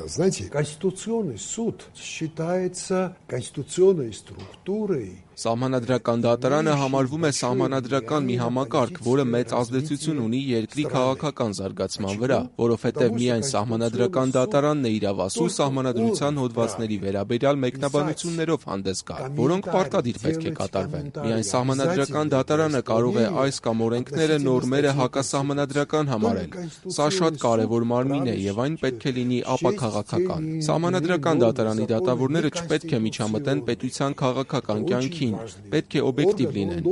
Знаете, Конституционный суд считается конституционной структурой. Սահմանադրական դատարանը համարվում է սահմանադրական մի համակարգ, որը մեծ ազդեցություն ունի երկրի քաղաքական զարգացման վրա, որովհետև միայն սահմանադրական դատարանն է իրավասու սահմանադրության հոդվածների վերաբերյալ մեկնաբանություններով հանդես գալ, որոնք պարտադիր պետք է կատարվեն։ Միայն սահմանադրական դատարանը կարող է այս կամ օրենքները, նորմերը հակասահմանադրական համարել։ Սա շատ կարևոր մարմին է եւ այն պետք է լինի ապաքաղաքական։ Սահմանադրական դատարանի դատավորները չպետք է միջամտեն պետության քաղաքական կյանքին, պետք է օբյեկտիվ լինեն,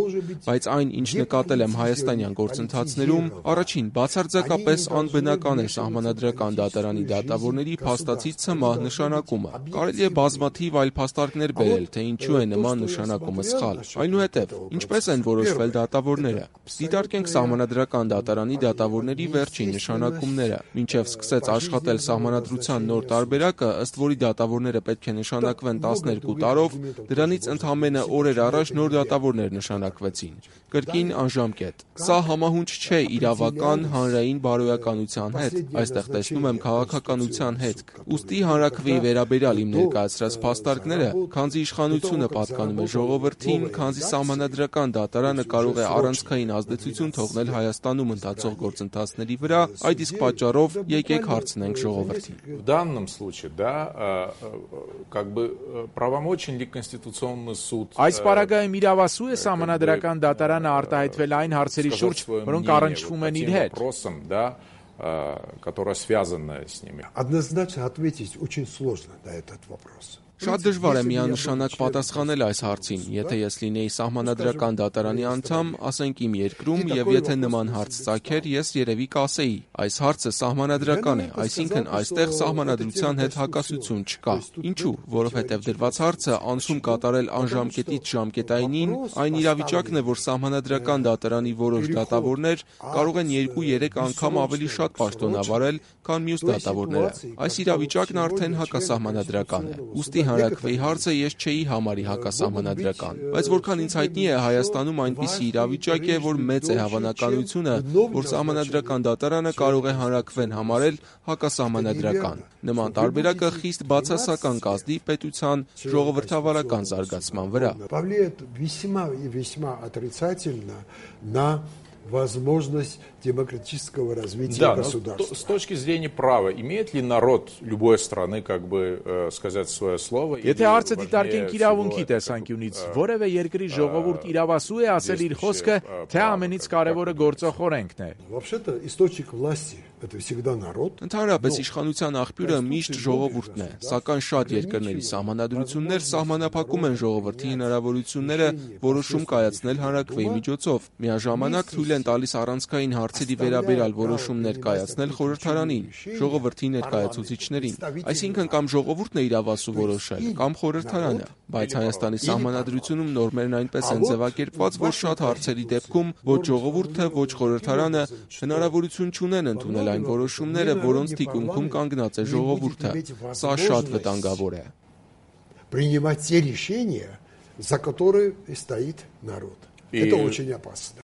բայց այն, ինչ նկատել եմ հայաստանյան գործընթացներում, առաջին, բացարձակապես անբնական է սահմանադրական դատարանի դատավորների փաստացի ցմահ նշանակումը։ Կարելի է բազմաթիվ այլ փաստարկներ բերել, թե ինչու է նման նշանակումը սխալ։ Այնուհետև, ինչպես են որոշվել դատավորները։ Դիտարկենք սահմանադրական դատարանի դատավորների վերջին նշանակումները։ Մինչև սկսեց աշխատել սահմանադրության նոր տարբերակը, ըստ որի դատավորները պետք է նշանակվեն 12 տարով, դրանից ընդամենը օրեր առաջ նոր դատավորներ նշանակվեցին։ Կրկին անժամկետ։ Սա համահունչ չէ իրավական հանրային բարոյականության հետ, այստեղ տեսնում եմ քաղաքականության հետք։ Ուստի հանրաքվեի վերաբերյալ իմ ներկայացրած փաստարկները, քանզի իշխանությունը պատկանում է ժողովրդին, քանզի սահմանադրական դատարանը կարող է առանցքային ազդեցություն թողնել Հայաստանում ընթացող գործընթացների վրա, այդ իսկ պատճառով եկեք հարցնենք ժողովրդին։ В данном случае, да, как бы правомочен ли Конституционный суд? Այս պարագայում իրավասու է սահմանադրական դատարանը արտահայտվել այն հարցերի շուրջ, որոնք առնչվում են իր հետ։ Которая связана с ними. Однозначно ответить очень сложно на этот вопрос. Շատ դժվար է միանշանակ պատասխանել այս հարցին, եթե ես լինեի սահմանադրական դատարանի անդամ, ասենք իմ երկրում, եւ եթե նման հարց ծագեր, ես երևի կասեի, այս հարցը սահմանադրական է, այսինքն այստեղ սահմանադրության հետ հակասություն չկա։ Ինչու՞, որովհետեւ դրված հարցը անցում կատարել անժամկետից ժամկետայինին, այն իրավիճակն է, որ սահմանադրական դատարանի որոշ դատավորներ կարող են 2-3 անգամ ավելի շատ պաշտոնավարել, քան մյուս դատավորները։ Այս իրավիճակն արդեն հակասահմանադրական է։ Ուստի հանրաքվեի հարցը ես չէի համարի հակասահմանադրական, բայց որքան ինձ հայտնի է, Հայաստանում այնպիսի իրավիճակ է, որ մեծ է հավանականությունը, որ սահմանադրական դատարանը կարող է հանրաքվեն համարել հակասահմանադրական։ Նման տարբերակը խիստ բացասական կազդի պետության ժողովրդավարական զարգացման վրա։ Повлияет весьма и весьма отрицательно на возможность демократического развития государства. С точки зрения права, имеет ли народ любой страны как бы сказать свое слово? Եթե հարցը դիտարկենք իրավունքի տեսանկյունից, որևէ երկրի ժողովուրդ իրավասու է ասել իր խոսքը, թե ամենից կարևորը գործող օրենքն է։ Вообще-то источник власти это всегда народ. Ընդհանրապես իշխանության աղբյուրը միշտ ժողովուրդն է, սակայն շատ երկրների սահմանադրություններ սահմանափակում են ժողովրդի հնարավորությունները որոշում կայացնել հանրաքվեի միջոցով։ Միաժամանակ թույլ են տալիս առանցքային հարցերի վերաբերյալ որոշումներ կայացնել խորհրդարանին, ժողովրդի ներկայացուցիչներին։ Այսինքն կամ ժողովուրդն է իրավասու որոշել, կամ խորհրդարանը, բայց Հայաստանի սահմանադրությունում նորմերն այնպես են ձևակերպված, որ շատ հարցերի դեպքում ոչ ժողովուրդը, ոչ խորհրդարանը հնարավորություն չունեն ընդունել այն որոշումները, որոնց թիկունքում կանգնած է ժողովուրդը։ Սա շատ վտանգավոր է։ Принимать те решения, за которые стоит народ. Это очень опасно.